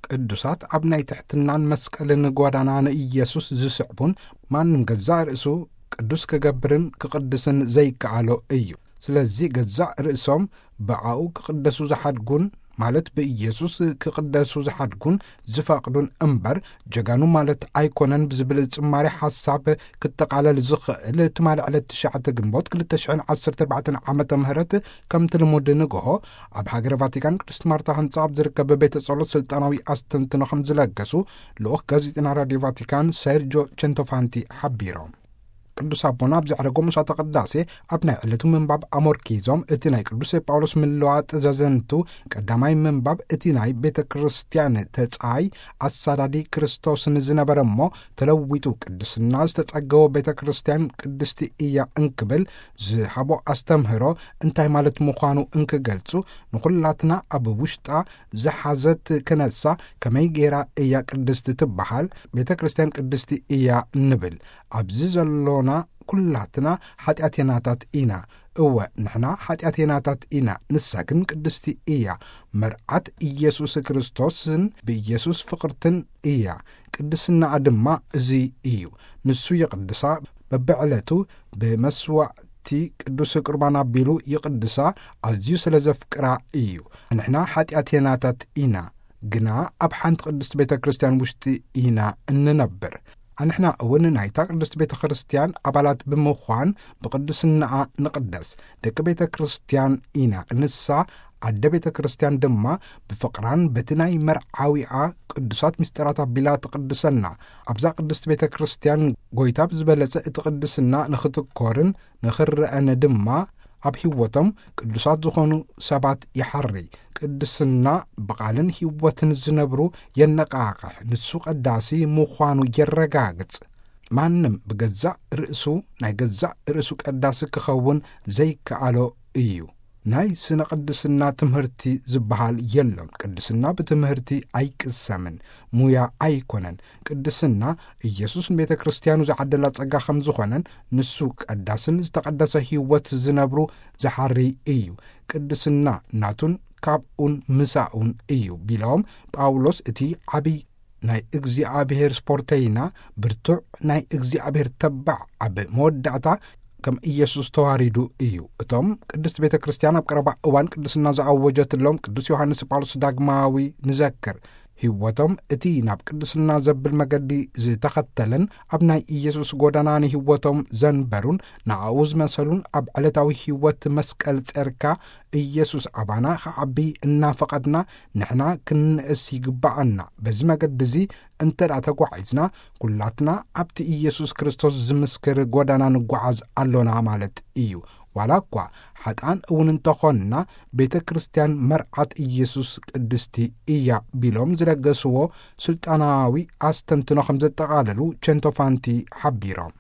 ቅዱሳት ኣብ ናይ ትሕትናን መስቀልን ጓዳና ንኢየሱስ ዝስዕቡን፣ ማንም ገዛእ ርእሱ ቅዱስ ክገብርን ክቕድስን ዘይከኣሎ እዩ። ስለዚ ገዛእ ርእሶም ብኣኡ ክቕደሱ ዝሓድጉን፣ ማለት ብኢየሱስ ክቕደሱ ዝሓድጉን ዝፈቕዱን እምበር፣ ጀጋኑ ማለት ኣይኮነን ብዝብል ጽማሬ ሓሳብ ክጠቓለል ዝኽእል፣ ትማሊ ዕለት ትሽዓተ ግንቦት ክልተ ሽሕን ዓሰርተ ኣርባዕተን ዓመተ ምህረት፣ ከምቲ ልሙድ ንግሆ ኣብ ሃገረ ቫቲካን ቅድስት ማርታ ህንጻ ኣብ ዝርከብ ቤተ ጸሎት ስልጣናዊ ኣስተንትኖ ከም ዝለገሱ ልኡኽ ጋዜጠና ራድዮ ቫቲካን ሴርጆ ቸንቶፋንቲ ሓቢሮም። ቅዱስ ኣቦና ኣብ ዘዕረጎ መስዋዕተ ቅዳሴ ኣብ ናይ ዕለቱ ምንባብ ኣሞርኪዞም፣ እቲ ናይ ቅዱስ ጳውሎስ ምልዋጥ ዘዘንቱ ቀዳማይ ምንባብ እቲ ናይ ቤተ ክርስቲያን ተጻይ ኣሳዳዲ ክርስቶስን ዝነበረ እሞ ተለዊጡ ቅድስና ዝተጸገወ ቤተ ክርስቲያን ቅድስቲ እያ እንክብል ዝሃቦ ኣስተምህሮ እንታይ ማለት ምዃኑ እንክገልጹ፣ ንኹላትና ኣብ ውሽጣ ዝሓዘት ክነሳ ከመይ ገይራ እያ ቅድስቲ ትበሃል? ቤተ ክርስቲያን ቅድስቲ እያ ንብል። ኣብዚ ዘሎና ኩላትና ሓጢኣተናታት ኢና። እወ፣ ንሕና ሓጢኣተናታት ኢና፣ ንሳ ግን ቅድስቲ እያ። መርዓት ኢየሱስ ክርስቶስን ብኢየሱስ ፍቕርትን እያ። ቅድስናኣ ድማ እዚ እዩ። ንሱ ይቕድሳ፣ በብዕለቱ ብመስዋዕቲ ቅዱስ ቁርባን ኣቢሉ ይቕድሳ፣ ኣዝዩ ስለ ዘፍቅራ እዩ። ንሕና ሓጢኣተናታት ኢና፣ ግና ኣብ ሓንቲ ቅድስቲ ቤተ ክርስቲያን ውሽጢ ኢና እንነብር። ኣንሕና እውን ናይታ ቅድስቲ ቤተ ክርስቲያን ኣባላት ብምዃን ብቅድስናኣ ንቕደስ። ደቂ ቤተ ክርስቲያን ኢና። ንሳ ኣደ ቤተ ክርስቲያን ድማ ብፍቕራን በቲ ናይ መርዓዊኣ ቅዱሳት ምስጢራት ኣቢላ ትቕድሰና። ኣብዛ ቅድስቲ ቤተ ክርስቲያን ጎይታ ብዝበለጸ እቲ ቅድስና ንኽትኮርን ንኽረአን ድማ ኣብ ህይወቶም ቅዱሳት ዝኾኑ ሰባት ይሓሪ። ቅድስና ብቓልን ህይወትን ዝነብሩ የነቃቕሕ። ንሱ ቀዳሲ ምዃኑ የረጋግጽ። ማንም ብገዛእ ርእሱ ናይ ገዛእ ርእሱ ቀዳሲ ክኸውን ዘይከኣሎ እዩ። ናይ ስነ ቅድስና ትምህርቲ ዝበሃል የሎን። ቅድስና ብትምህርቲ ኣይቅሰምን፣ ሙያ ኣይኮነን። ቅድስና ኢየሱስ ንቤተ ክርስቲያኑ ዝዓደላ ጸጋ ከም ዝኾነን ንሱ ቀዳስን ዝተቐደሰ ህይወት ዝነብሩ ዝሓሪ እዩ። ቅድስና ናቱን ካብኡን ምሳኡን እዩ ቢሎም ጳውሎስ እቲ ዓብይ ናይ እግዚኣብሔር ስፖርተይና፣ ብርቱዕ ናይ እግዚኣብሔር ተባዕ ኣብ መወዳእታ ከም ኢየሱስ ተዋሪዱ እዩ። እቶም ቅድስት ቤተ ክርስቲያን ኣብ ቀረባ እዋን ቅድስና ዝኣወጀትሎም ቅዱስ ዮሃንስ ጳውሎስ ዳግማዊ ንዘክር። ህይወቶም እቲ ናብ ቅድስና ዘብል መገዲ ዝተኸተለን ኣብ ናይ ኢየሱስ ጎዳና ንህይወቶም ዘንበሩን ንኣኡ ዝመሰሉን ኣብ ዕለታዊ ህይወት መስቀል ጸርካ ኢየሱስ ኣባና ክዓቢ እናፈቐድና ንሕና ክንንእስ ይግባኣና። በዚ መገዲ እዚ እንተ ደኣ ተጓዒዝና ኩላትና ኣብቲ ኢየሱስ ክርስቶስ ዝምስክር ጎዳና ንጓዓዝ ኣሎና ማለት እዩ። ዋላ እኳ ሓጥኣን እውን እንተኾንና ቤተ ክርስቲያን መርዓት ኢየሱስ ቅድስቲ እያ ቢሎም ዝለገስዎ ስልጣናዊ ኣስተንትኖ ከም ዘጠቓለሉ ቸንቶፋንቲ ሓቢሮም።